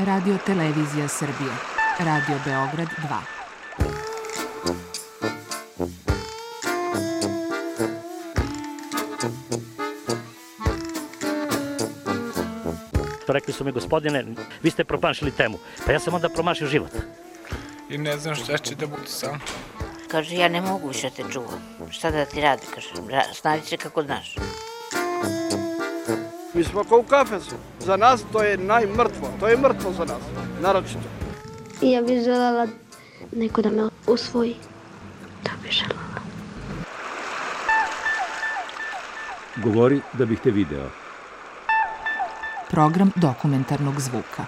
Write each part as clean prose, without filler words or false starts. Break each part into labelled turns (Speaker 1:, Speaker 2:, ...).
Speaker 1: Radio Televizija Srbije, Radio Beograd 2.
Speaker 2: Rekli su mi, gospodine, vi ste promašili temu. Pa ja sam onda promašio život.
Speaker 3: I ne znam šta će da bude sam.
Speaker 4: Kaže, ja ne mogu više te čuvam. Šta da ti radi, kaže, snađi se kako znaš.
Speaker 5: Mi smo kao u kafesu. Za nas to je najmrtvo. To je mrtvo za nas, naročito.
Speaker 6: Ja bih željela neko da me usvoji. To bih željela.
Speaker 7: Govori da bih te video.
Speaker 1: Program dokumentarnog zvuka.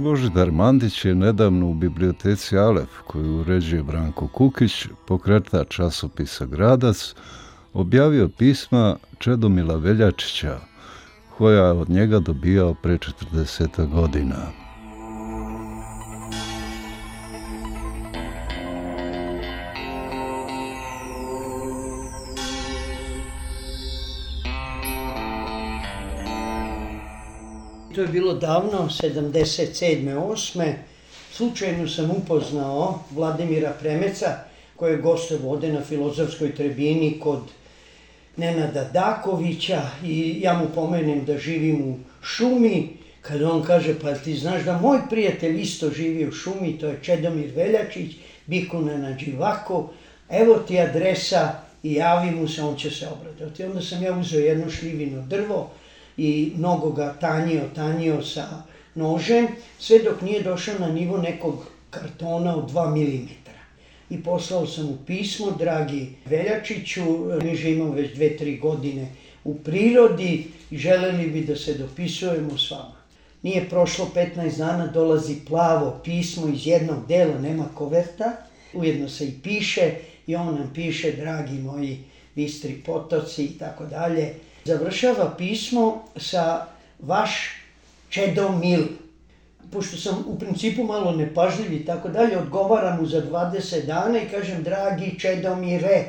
Speaker 8: Božidar Mandić je nedavno u biblioteci Alef, koju uređuje Branko Kukić, pokretač časopisa Gradac, objavio pisma Čedomila Veljačića, koja je od njega dobijao pre 40 godina.
Speaker 9: To je bilo davno, 77. 8. Slučajno sam upoznao Vladimira Premeca, koji je gostovo ovde na Filozofskoj tribini kod Nenada Dakovića i ja mu pomenem da živim u šumi. Kada on kaže, pa ti znaš da moj prijatelj isto živi u šumi, to je Čedomir Veljačić, Bikuna na Đivako, evo ti adresa i javi mu se, on će se obradovati. Onda sam ja uzeo jedno šljivino drvo i mnogo ga tanjio sa nožem, sve dok nije došao na nivo nekog kartona od 2 mm. I poslao sam mu pismo, dragi Veljačiću, mi živimo već 2-3 godine u prirodi i želeli bi da se dopisujemo s vama. Nije prošlo 15 dana, dolazi plavo pismo iz jednog dela, nema koverta, ujedno se i piše i on nam piše, dragi moji bistri potoci i tako dalje. Završava pismo sa vaš Čedomil. Pošto sam u principu malo nepažljiv i tako dalje, odgovaram mu za 20 dana i kažem, dragi Čedomire,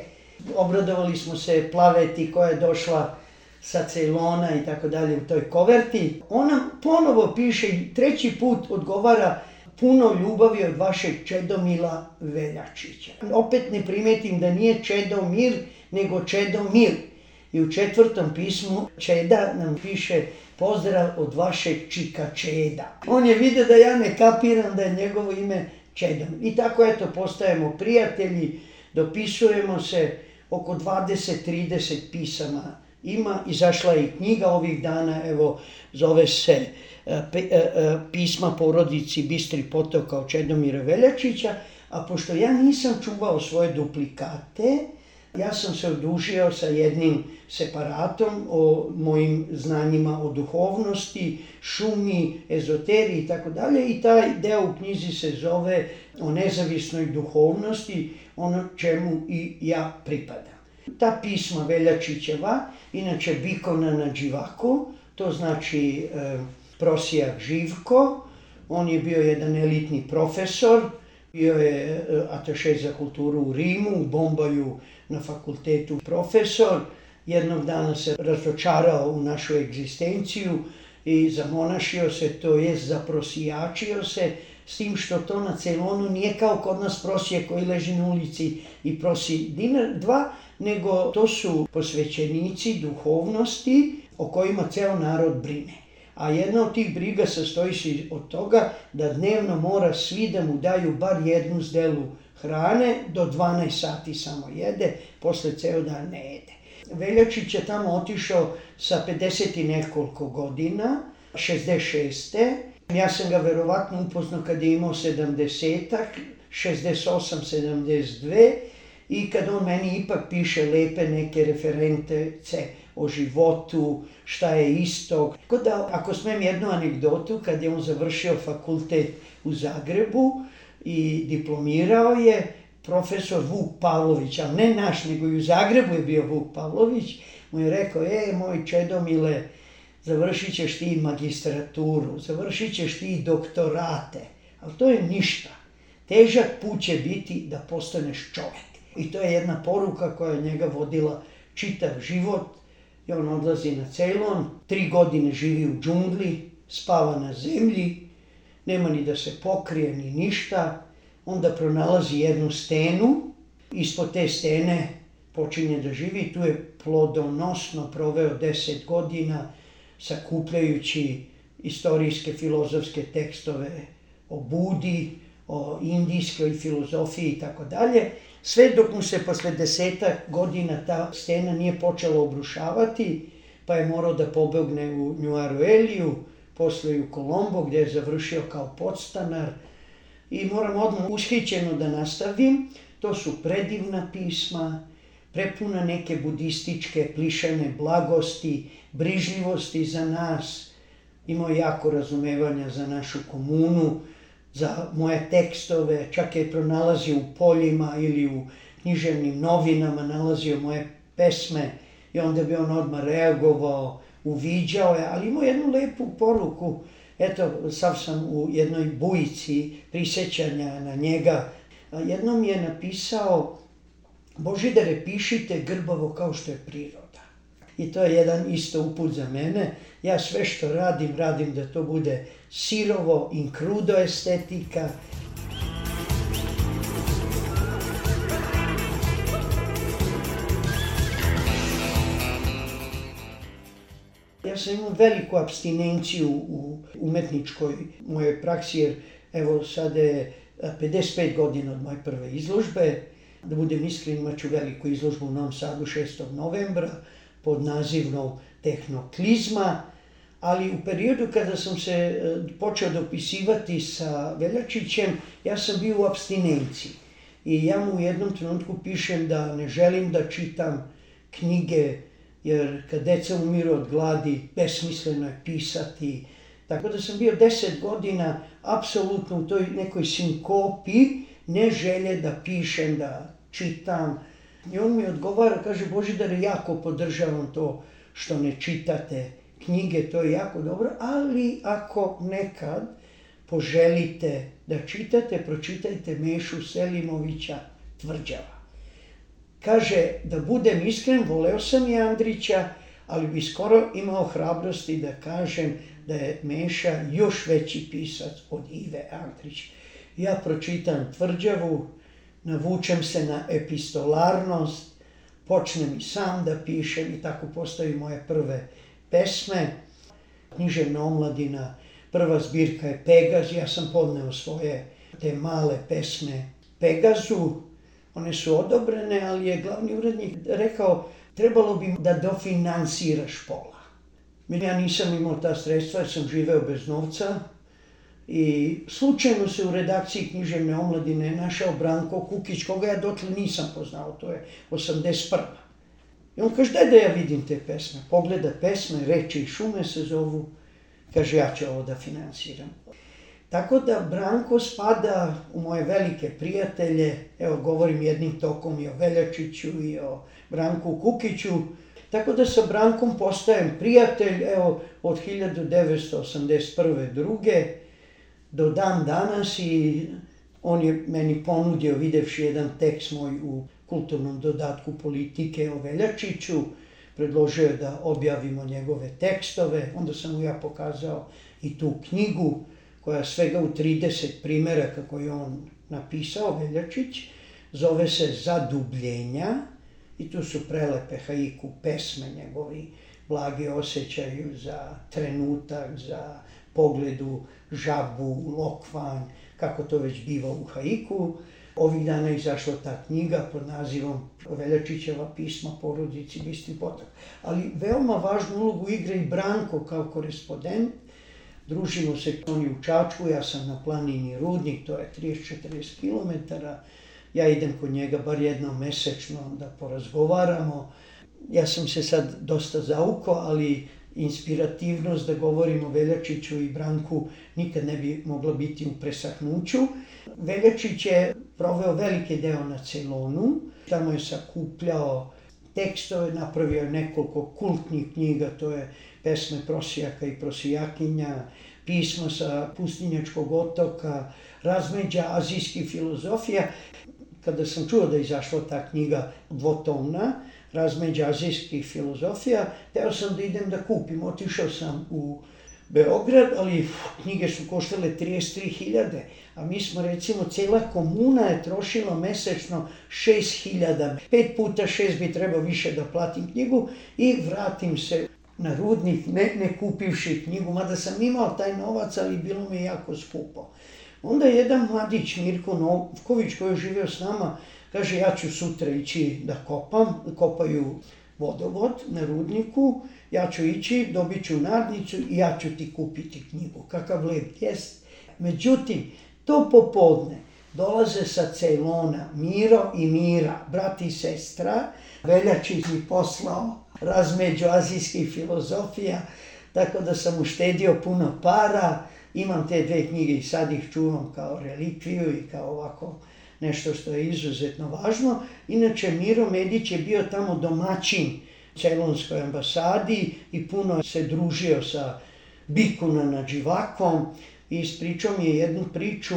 Speaker 9: obradovali smo se Plaveti koja je došla sa Ceylona i tako dalje u toj koverti. On nam ponovo piše i treći put odgovara, puno ljubavi od vašeg Čedomila Veljačića. Opet ne primetim da nije Čedomir, nego Čedomir. I u 4. pismu Čeda nam piše pozdrav od vašeg čika Čeda. On je vidio da ja ne kapiram da je njegovo ime Čedomir. I tako eto postajemo prijatelji, dopisujemo se, oko 20-30 pisama ima. Izašla je i knjiga ovih dana, evo zove se Pisma porodici Bistri potoka od Čedomira Veljačića, a pošto ja nisam čuvao svoje duplikate, ja sam se odužio sa jednim separatom o mojim znanjima o duhovnosti, šumi, ezoteriji i tako dalje i taj deo u knjizi se zove o nezavisnoj duhovnosti, ono čemu i ja pripadam. Ta pisma Veljačićeva, inače Bikona na Đivako, to znači prosijak Živko, on je bio jedan elitni profesor, bio je ataše za kulturu u Rimu, u Bombaju na fakultetu profesor. Jednog dana se razočarao u našu egzistenciju i zamonašio se, to jest zaprosijačio se, s tim što to na Ceylonu nije kao kod nas prosije koji leži na ulici i prosi dinar, 2, nego to su posvećenici duhovnosti o kojima ceo narod brine. A jedna od tih briga sastoji se od toga da dnevno mora svi da mu daju bar jednu zdelu hrane, do 12 sati samo jede, posle ceo dan ne jede. Veljačić je tamo otišao sa 50 i nekoliko godina, 66. Ja sam ga verovatno upoznao kad je imao 70-ak, 68, 72 i kad on meni ipak piše lepe neke reference o životu, šta je isto. Tako da, ako smem jednu anegdotu, kad je on završio fakultet u Zagrebu i diplomirao je, profesor Vuk Pavlović, ali ne naš, nego i u Zagrebu je bio Vuk Pavlović, mu je rekao, moj Čedomile, završit ćeš ti magistraturu, završit ćeš ti doktorate, ali to je ništa. Težak put će biti da postaneš čovjek. I to je jedna poruka koja je njega vodila čitav život. I on odlazi na Ceylon, 3 godine živi u džungli, spava na zemlji, nema ni da se pokrije ni ništa. Onda pronalazi jednu stenu, ispod te stene počinje da živi. Tu je plodonosno proveo 10 godina sakupljajući istorijske filozofske tekstove o Budi, o indijskoj filozofiji i tako dalje. Sve dok mu se posle 10 godina ta stena nije počela obrušavati, pa je morao da pobegne u New Arueliju, posle u Kolombo gdje je završio kao podstanar. I moram odmah ushićeno da nastavim, to su predivna pisma, prepuna neke budističke plišane blagosti, brižljivosti za nas. Imao jako razumevanja za našu komunu, za moje tekstove, čak je pronalazio u poljima ili u književnim novinama, nalazio moje pesme i onda bi on odmah reagovao, uviđao je, ali imao jednu lepu poruku. Eto, sav sam u jednoj bujici prisjećanja na njega. Jednom je napisao, Božidare, pišite grbavo kao što je priroda. I to je jedan isto uput za mene. Ja sve što radim da to bude sirovo, in crudo estetika. Ja sam imao veliku apstinenciju u umetničkoj mojoj praksi, jer evo sada je 55 godina od moje prve izložbe. Da budem iskren, imat ću veliku izložbu u Novom Sadu 6. novembra pod nazivnom Tehnoklizma, ali u periodu kada sam se počeo dopisivati sa Veljačićem, ja sam bio u apstinenciji. I ja mu u jednom trenutku pišem da ne želim da čitam knjige, jer kad deca umiru od gladi, besmisleno je pisati. Tako da sam bio 10 godina apsolutno u toj nekoj sinkopi, ne želje da pišem, da čitam. I on mi odgovara, kaže, Božidare, jako podržavam to što ne čitate knjige, to je jako dobro, ali ako nekad poželite da čitate, pročitajte Mešu Selimovića Tvrđava. Kaže, da budem iskren, voleo sam i Andrića, ali bi skoro imao hrabrosti da kažem da je Meša još veći pisac od Ive Andrića. Ja pročitam Tvrđavu, navučem se na epistolarnost, počnem i sam da pišem i tako postaju moje prve pesme. Književna omladina, prva zbirka je Pegaz, ja sam podneo svoje te male pesme Pegazu. One su odobrene, ali je glavni urednik rekao, trebalo bi da dofinansiraš pola. Ja nisam imao ta sredstva jer sam živeo bez novca. I slučajno se u redakciji Književne omladine našao Branko Kukić, koga ja dotle nisam poznao, to je 81. I on kaže, daj da ja vidim te pesme. Pogleda pesme, Reči i šume se zovu, kaže, ja ću ovo da finansiram. Tako da Branko spada u moje velike prijatelje, evo govorim jednim tokom i o Veljačiću i o Branku Kukiću, tako da sa Brankom postajem prijatelj, evo od 1981. druge, do dan danas i on je meni ponudio, videvši jedan tekst moj u kulturnom dodatku Politike o Veljačiću, predložio je da objavimo njegove tekstove, onda sam mu ja pokazao i tu knjigu koja svega u 30 primjeraka koje je on napisao, Veljačić, zove se Zadubljenja i tu su prelepe haiku pesme njegovi, blagi osjećaju za trenutak, za pogledu, žabu, lokvanj, kako to već biva u haiku. Ovih dana je izašla ta knjiga pod nazivom Veljačićeva pisma porodici Bistri Potok. Ali veoma važnu ulogu igra i Branko kao korespondent. Družimo se oni u Čačku, ja sam na planini Rudnik, to je 30-40 km. Ja idem kod njega bar jednom mesečno da porazgovaramo. Ja sam se sad dosta zaukao, ali inspirativnost da govorim o Veljačiću i Branku nikad ne bi mogla biti u presahnuću. Veljačić je proveo veliki deo na Ceylonu, tamo je sakupljao tekstove, napravio je nekoliko kultnih knjiga, to je Pesme prosijaka i prosijakinja, Pisma sa pustinjačkog otoka, Razmeđa azijskih filozofija. Kada sam čuo da je izašla ta knjiga dvotomna, Razmeđa azijskih filozofija, teo sam da idem da kupim. Otišao sam u Beograd, ali knjige su koštale 33.000, a mi smo recimo, cela komuna je trošila mesečno 6.000. 5 puta 6 bi trebao više da platim knjigu i vratim se na Rudnik, ne kupivši knjigu, mada sam imao taj novac, ali bilo mi je jako skupo. Onda je jedan mladić, Mirko Novković, koji je živio s nama, kaže, ja ću sutra ići da kopam, kopaju vodovod na Rudniku, ja ću ići, dobit ću nadnicu i ja ću ti kupiti knjigu. Kakav lep jest. Međutim, to popodne dolaze sa Ceylona Miro i Mira, brat i sestra. Veljačić mi poslao Razmeđu azijskih filozofija, tako da sam uštedio puno para. Imam te 2 knjige i sad ih čuvam kao relikviju i kao ovako nešto što je izuzetno važno. Inače, Miro Medić je bio tamo domaćin Ceylonskoj ambasadi i puno se družio sa Bikuna Nadživakom i ispričao mi je jednu priču.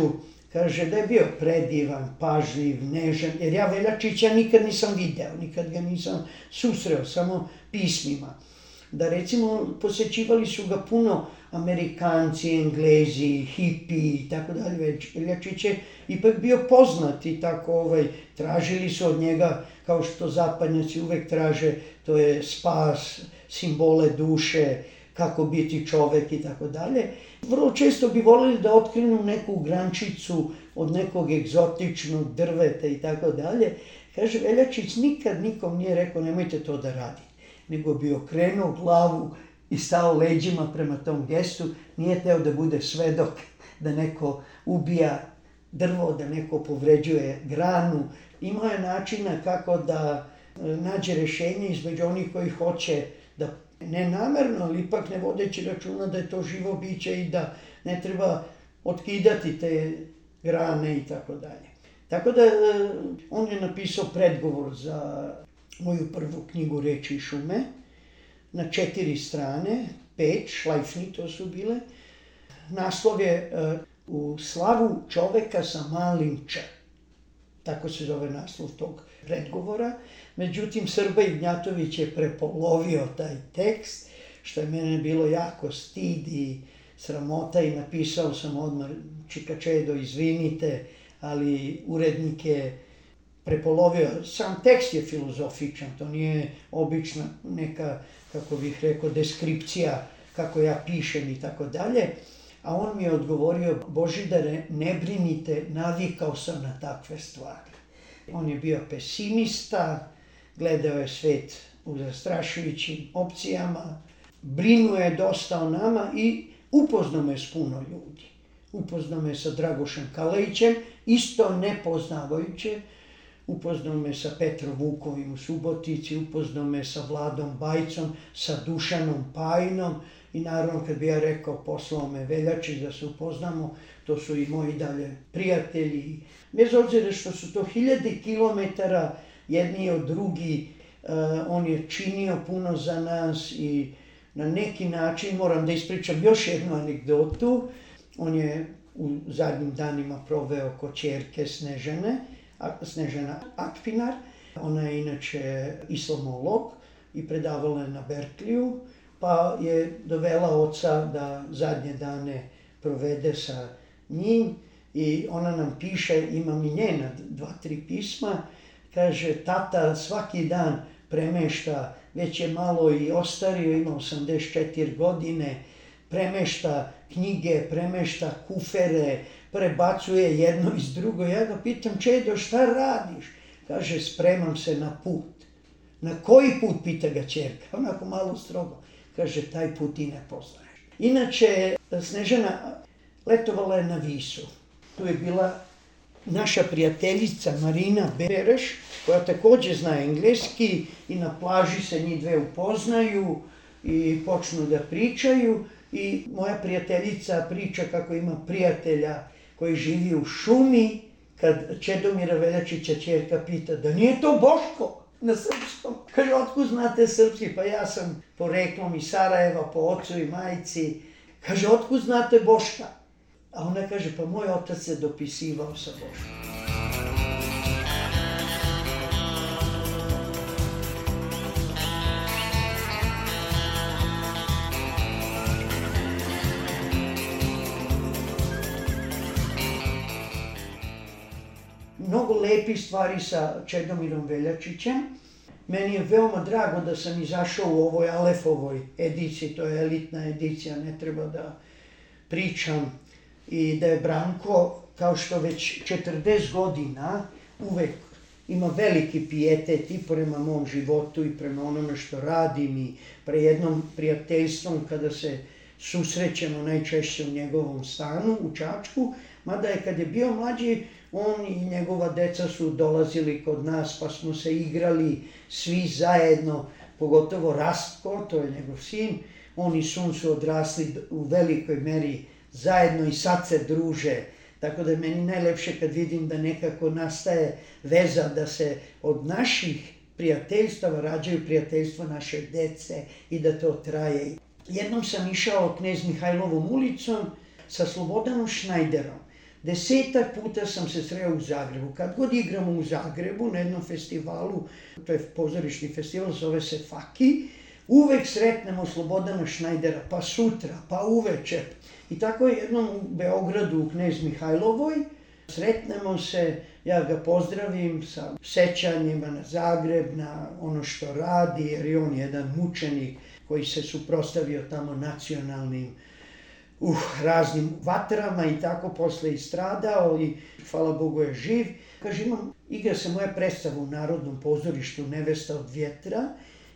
Speaker 9: Kaže da je bio predivan, pažljiv, nežan, jer ja Veljačića nikad nisam video, nikad ga nisam susreo, samo pismima. Da recimo posećivali su ga puno Amerikanci, Englezi, hipi i tako dalje. Veljačić je ipak bio poznat i tako tražili su od njega, kao što zapadnjaci uvek traže, to je spas, simbole duše, kako biti čovek i tako dalje. Vrlo često bi voljeli da otkrenu neku grančicu od nekog egzotičnog drveta i tako dalje. Kaže, Veljačić nikad nikom nije rekao nemojte to da radite, nego bi okrenuo glavu i stao leđima prema tom gestu, nije teo da bude svedok, da neko ubija drvo, da neko povređuje granu. Imao je načina kako da nađe rešenje između onih koji hoće da ne namerno, ali ipak ne vodeći računa da je to živo biće i da ne treba otkidati te grane i tako dalje. Tako da on je napisao predgovor za moju prvu knjigu Reči i šume na 4 strane, 5, šlajfni to su bile. Naslov je U slavu čoveka sa malim č. Tako se zove naslov tog predgovora. Međutim, Srba Ignjatović je prepolovio taj tekst, što je mene bilo jako stid i sramota i napisao sam odmah, Čikačedo, izvinite, ali urednik je prepolovio. Sam tekst je filozofičan, to nije obična neka, kako bih rekao, deskripcija kako ja pišem i tako dalje. A on mi je odgovorio, Božidare, ne brinite, navikao sam na takve stvari. On je bio pesimista, gledao je svet u zastrašujućim opcijama, brinuo je dosta o nama i upoznao me s puno ljudi. Upoznao me sa Dragošem Kalejićem, isto nepoznavajuće, upoznao me sa Petrom Vukovim u Subotici, upoznao me sa Vladom Bajcom, sa Dušanom Pajinom i naravno kad bi ja rekao poslao me Veljačić da se upoznamo, to su i moji dalje prijatelji. Bez obzira što su to 1000 kilometara jedni od drugi, on je činio puno za nas i na neki način, moram da ispričam još jednu anegdotu, on je u zadnjim danima proveo kod ćerke Snežana Akpinar. Ona je inače islamolog i predavala je na Berkliju, pa je dovela oca da zadnje dane provede sa njim i ona nam piše, imam i njena 2-3 pisma, kaže, tata svaki dan premešta, već je malo i ostario, ima 84 godine, premešta knjige, premešta kufere, prebacuje jedno iz drugo. Ja ga pitam, Čedo, šta radiš? Kaže, spremam se na put. Na koji put, pita ga ćerka, onako malo strogo. Kaže, taj put i ne poznaješ. Inače, Snežana letovala je na Visu. Tu je bila naša prijateljica Marina Bereš, koja takođe zna engleski i na plaži se njih dve upoznaju i počnu da pričaju. I moja prijateljica priča kako ima prijatelja koji živi u šumi, kad Čedomira Veljačića ćerka pita da nije to Boško. na srpskom. Kaže, otkud znate srpski? Pa ja sam poreklom iz Sarajeva, po ocu i majci. Kaže, otkud znate Boška? A ona kaže, pa moj otac se dopisivao sa Boškom. Mnogo lepih stvari sa Čedomirom Veljačićem. Meni je veoma drago da sam izašao u ovoj Alefovoj ediciji, to je elitna edicija, ne treba da pričam. I da je Branko, kao što već 40 godina, uvek ima veliki pijetet i prema mom životu i prema onome što radim i pre jednom prijateljstvom kada se susrećemo najčešće u njegovom stanu u Čačku, mada je kad je bio mlađi, on i njegova deca su dolazili kod nas pa smo se igrali svi zajedno, pogotovo Rastko, to je njegov sin, on i Sun su odrasli u velikoj meri zajedno i sad se druže. Tako da je meni najlepše kad vidim da nekako nastaje veza, da se od naših prijateljstava rađaju prijateljstva naše dece i da to traje. Jednom sam išao Knez Mihajlovom ulicom sa Slobodanom Šnajderom. 10 puta sam se sreo u Zagrebu. Kad god igramo u Zagrebu na jednom festivalu, to je pozorišni festival, zove se Faki, uvek sretnemo Slobodana Šnajdera, pa sutra, pa uveče. I tako je jednom u Beogradu, u Knez Mihajlovoj, sretnemo se, ja ga pozdravim sa sećanjima na Zagreb, na ono što radi, jer je on jedan mučenik koji se suprotstavio tamo nacionalnim raznim vatrama i tako posle i stradao i hvala Bogu je živ. Kaže, igra se moja predstava u Narodnom pozorištu Nevesta od vjetra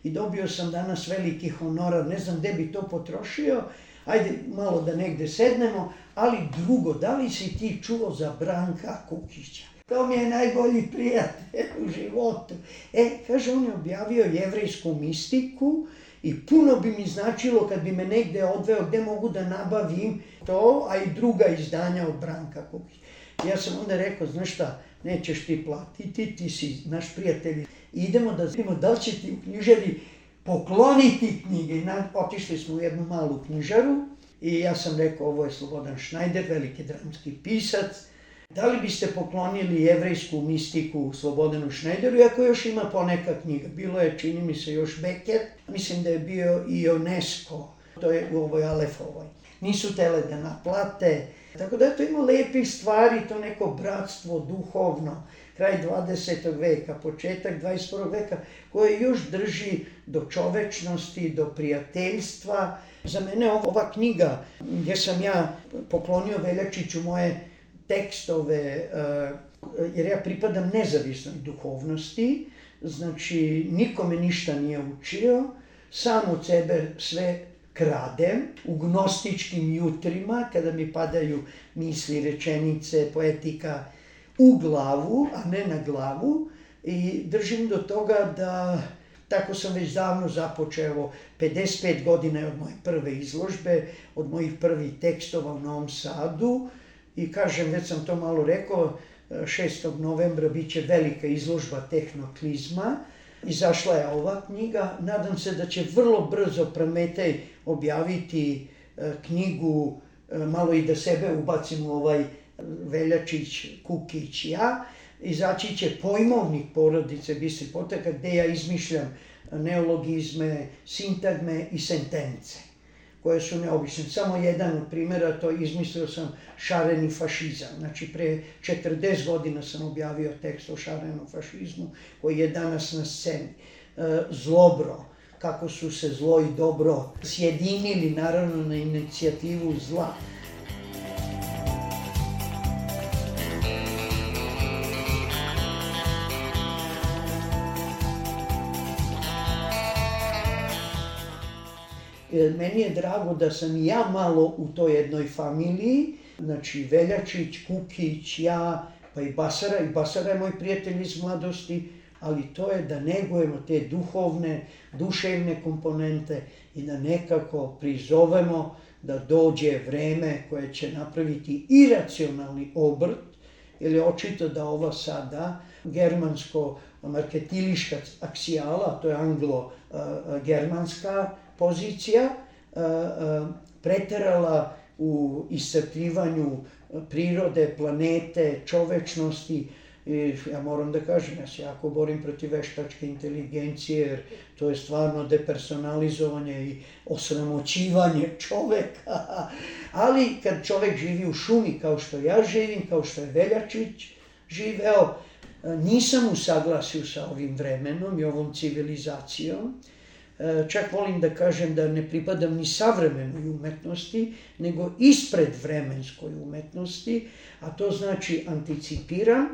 Speaker 9: i dobio sam danas veliki honorar, ne znam gde bi to potrošio, ajde malo da negde sednemo, ali drugo, da li si ti čuo za Branka Kukića? To mi je najbolji prijatelj u životu. Kaže, on je objavio jevrejsku mistiku i puno bi mi značilo kad bi me negde odveo gde mogu da nabavim to, a i druga izdanja od Branka Kukića. Ja sam onda rekao, znaš šta, nećeš ti platiti, ti si naš prijatelj. Idemo da vidimo da li će ti u knjižari pokloniti knjige. Otišli smo u jednu malu knjižaru i ja sam rekao, ovo je Slobodan Šnajder, veliki dramski pisac. Da li biste poklonili jevrejsku mistiku Slobodanu Šnajderu, iako još ima poneka knjiga. Bilo je, čini mi se, još Beckett, mislim da je bio i UNESCO, to je u ovoj Alefovoj. Nisu tele da naplate, tako da to ima lepih stvari, to neko bratstvo duhovno, kraj 20. veka, početak 21. veka, koje još drži do čovečnosti, do prijateljstva. Za mene ova knjiga, gdje sam ja poklonio Veljačiću moje tekstove, jer ja pripadam nezavisnoj duhovnosti, znači nikome ništa nije učio, sam od sebe sve kradem u gnostičkim jutrima, kada mi padaju misli, rečenice, poetika u glavu, a ne na glavu, i držim do toga da, tako sam već davno započeo, 55 godina je od moje prve izložbe, od mojih prvih tekstova u Novom Sadu, i kažem, već sam to malo rekao, 6. novembra bit će velika izložba Tehnoklizma. Izašla je ova knjiga. Nadam se da će vrlo brzo Prometej objaviti knjigu, malo i da sebe ubacim u ovaj Veljačić, Kukić, ja. Izaći će pojmovnik porodice Bistri Potaka, gde ja izmišljam neologizme, sintagme i sentence, koje su neobične. Samo jedan od primjera, to izmislio sam šareni fašizam. Znači, pre 40 godina sam objavio tekst o šarenom fašizmu, koji je danas na sceni. Zlobro, kako su se zlo i dobro sjedinili, naravno, na inicijativu zla. Meni je drago da sam i ja malo u toj jednoj familiji, znači Veljačić, Kukić, ja, pa i Basara. I Basara je moj prijatelj iz mladosti, ali to je da negujemo te duhovne, duševne komponente i da nekako prizovemo da dođe vreme koje će napraviti iracionalni obrt jer je očito da ova sada germansko-marketiliška aksijala, to je anglo-germanska pozicija, preterala u iscrpljivanju prirode, planete, čovečnosti. I ja moram da kažem, ja se jako borim protiv veštačke inteligencije, jer to je stvarno depersonalizovanje i osramoćivanje čoveka. Ali kad čovek živi u šumi kao što ja živim, kao što je Veljačić živeo, nisam u saglasju sa ovim vremenom i ovom civilizacijom. Čak volim da kažem da ne pripadam ni savremenoj umetnosti, nego ispred vremenskoj umetnosti, a to znači anticipiram,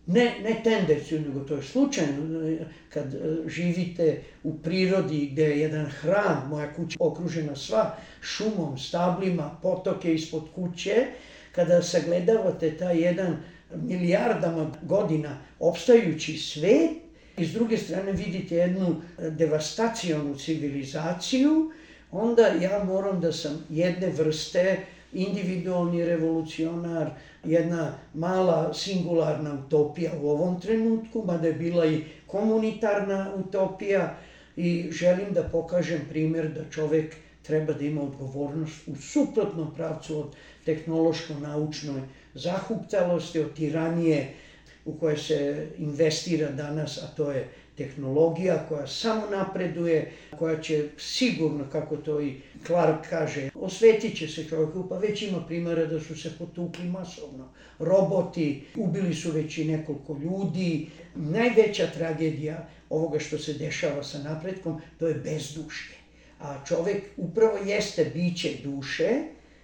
Speaker 9: ne tendenciju, nego to je slučajno. Kad živite u prirodi gde je jedan hram, moja kuća okružena sva šumom, stablima, potoke ispod kuće, kada sagledavate taj jedan milijardama godina opstajući svet, i s druge strane vidite jednu devastacionu civilizaciju, onda ja moram da sam jedne vrste individualni revolucionar, jedna mala singularna utopija u ovom trenutku, mada je bila i komunitarna utopija, i želim da pokažem primjer da čovek treba da ima odgovornost u suprotnom pravcu od tehnološko-naučnoj zahuktalosti, od tiranije u koje se investira danas, a to je tehnologija koja samo napreduje, koja će sigurno, kako to i Clark kaže, osvetit će se čovjeku, pa već ima primjera da su se potukli masovno. Roboti, ubili su već i nekoliko ljudi. Najveća tragedija ovoga što se dešava sa napretkom, to je bezdušje. A čovjek upravo jeste biće duše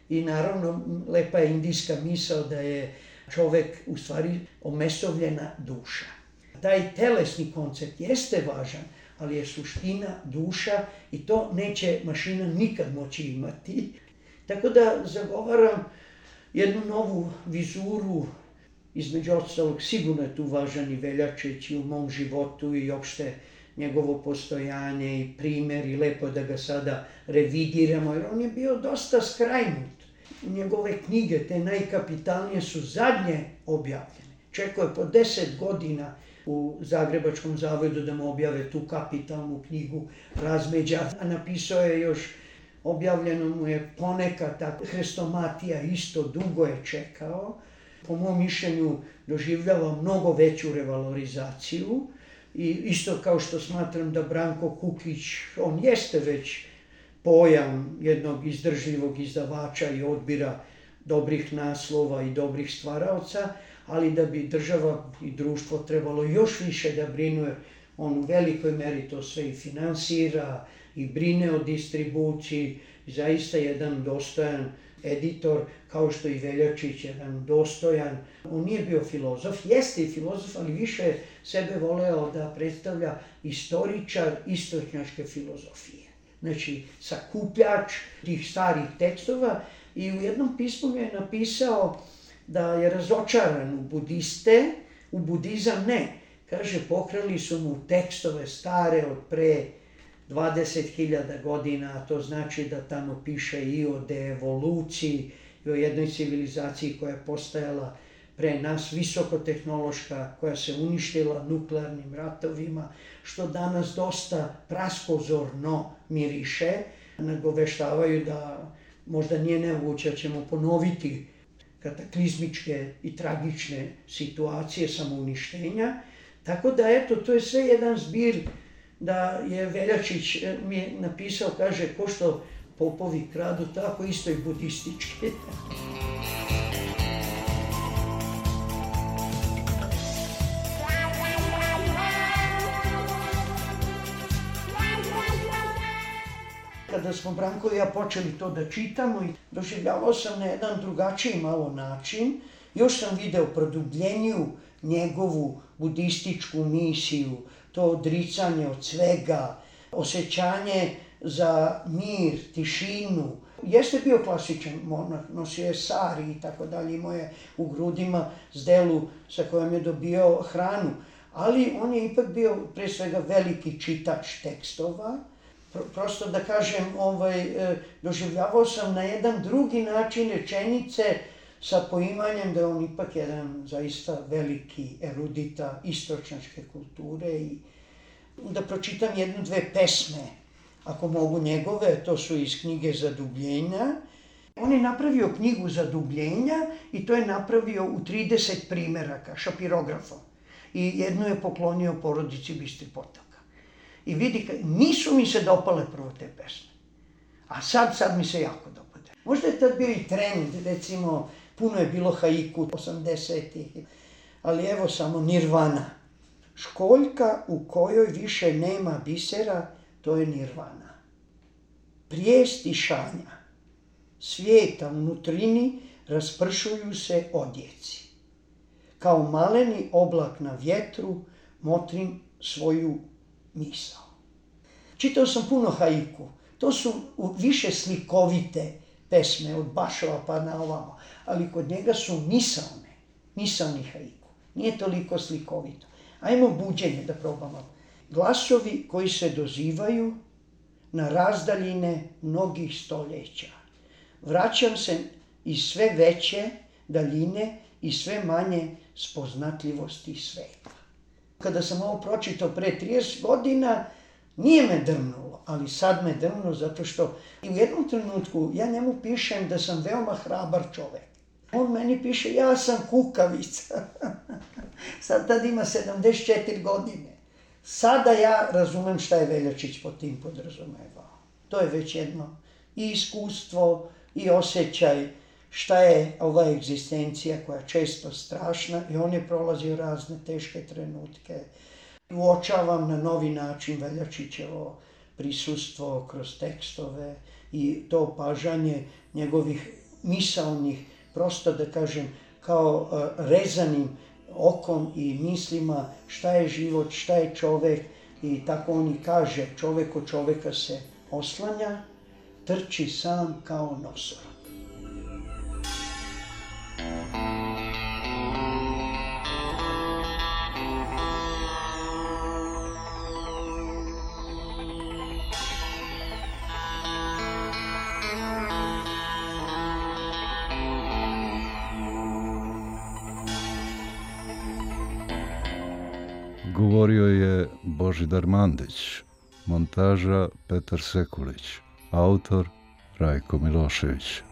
Speaker 9: i naravno lepa je indijska misao da je čovjek u stvari omesovljena duša. Taj telesni koncept jeste važan, ali je suština duša i to neće mašina nikad moći imati. Tako da zagovaram jednu novu vizuru, između ostalog sigurno je tu važan i Veljačić i u mom životu i opšte njegovo postojanje i primjer i lepo da ga sada revidiramo, jer on je bio dosta skrajnut. Njegove knjige, te najkapitalnije, su zadnje objavljene. Čekao je po 10 godina u Zagrebačkom zavodu da mu objave tu kapitalnu knjigu Razmeđa, a napisao je još, objavljeno mu je ponekad, ta Hrestomatija isto dugo je čekao. Po mom mišljenju doživljava mnogo veću revalorizaciju i isto kao što smatram da Branko Kukić, on jeste već pojam jednog izdržljivog izdavača i odbira dobrih naslova i dobrih stvaraoca, ali da bi država i društvo trebalo još više da brinu, jer on u velikoj meri to sve i finansira i brine o distribuciji. Zaista jedan dostojan editor, kao što i Veljačić, jedan dostojan. On nije bio filozof, jeste i filozof, ali više sebe voleo da predstavlja istoričar istočnjačke filozofije. Znači, sakupljač tih starih tekstova, i u jednom pismu je napisao da je razočaran u budiste, u budizam ne. Kaže, pokrali su mu tekstove stare od pre 20.000 godina, a to znači da tamo piše i o deevoluciji, i o jednoj civilizaciji koja je postajala pre nas, visokotehnološka, koja se uništila nuklearnim ratovima, što danas dosta praskozorno miriše. Nagoveštavaju da možda nije nemoguće, da ćemo ponoviti kataklizmičke i tragične situacije samouništenja. Tako da, eto, to je sve jedan zbir da je Veljačić mi je napisao, kaže, ko što popovi kradu, tako isto i budistički. Kada smo Branko i ja počeli to da čitamo, i doživljavao sam na jedan drugačiji malo način, još sam video produbljeniju njegovu budističku misiju, to odricanje od svega, osjećanje za mir, tišinu. Jeste bio klasičan monah, nosio je sari i tako dalje, imao je u grudima zdelu sa kojom je dobio hranu, ali on je ipak bio pre svega veliki čitač tekstova. Prosto da kažem, doživljavao sam na jedan drugi način rečenice sa poimanjem da je on ipak jedan zaista veliki erudita istočnjačke kulture i da pročitam jednu, dve pesme, ako mogu njegove, to su iz knjige Zadubljenja. On je napravio knjigu Zadubljenja i to je napravio u 30 primeraka, šapirografom. I jednu je poklonio porodici Bistri Potoka. I vidi, nisu mi se dopale prvo te pesme, a sad mi se jako dopade. Možda je tad bio i trend, recimo, puno je bilo haiku 80-ih, ali evo samo Nirvana. Školjka u kojoj više nema bisera, to je Nirvana. Prijest i šanja svijeta unutrini raspršuju se odjeci. Kao maleni oblak na vjetru motrim svoju misao. Čitao sam puno haiku. To su više slikovite pesme od Bašova pa na ovamo, ali kod njega su misaoni haiku. Nije toliko slikovito. Ajmo buđenje da probamo. Glasovi koji se dozivaju na razdaljine mnogih stoljeća. Vraćam se iz sve veće daljine i sve manje spoznatljivosti sveta. Kada sam ovo pročitao pre 30 godina, nije me drnulo, ali sad me drnulo zato što i u jednom trenutku ja njemu pišem da sam veoma hrabar čovek. On meni piše, ja sam kukavica. Sad tad ima 74 godine. Sada ja razumem šta je Veljačić pod tim podrazumevao. To je već jedno i iskustvo i osjećaj šta je ova egzistencija koja je često strašna i on je prolazio razne teške trenutke. Uočavam na novi način Veljačićevo prisustvo kroz tekstove i to opažanje njegovih misaonih, prosto da kažem, kao rezanim okom i mislima šta je život, šta je čovek i tako on i kaže, čovek od čoveka se oslanja, trči sam kao nosorog.
Speaker 8: Govorio je Božidar Mandić, montaža Petar Sekulić, autor Rajko Milošević.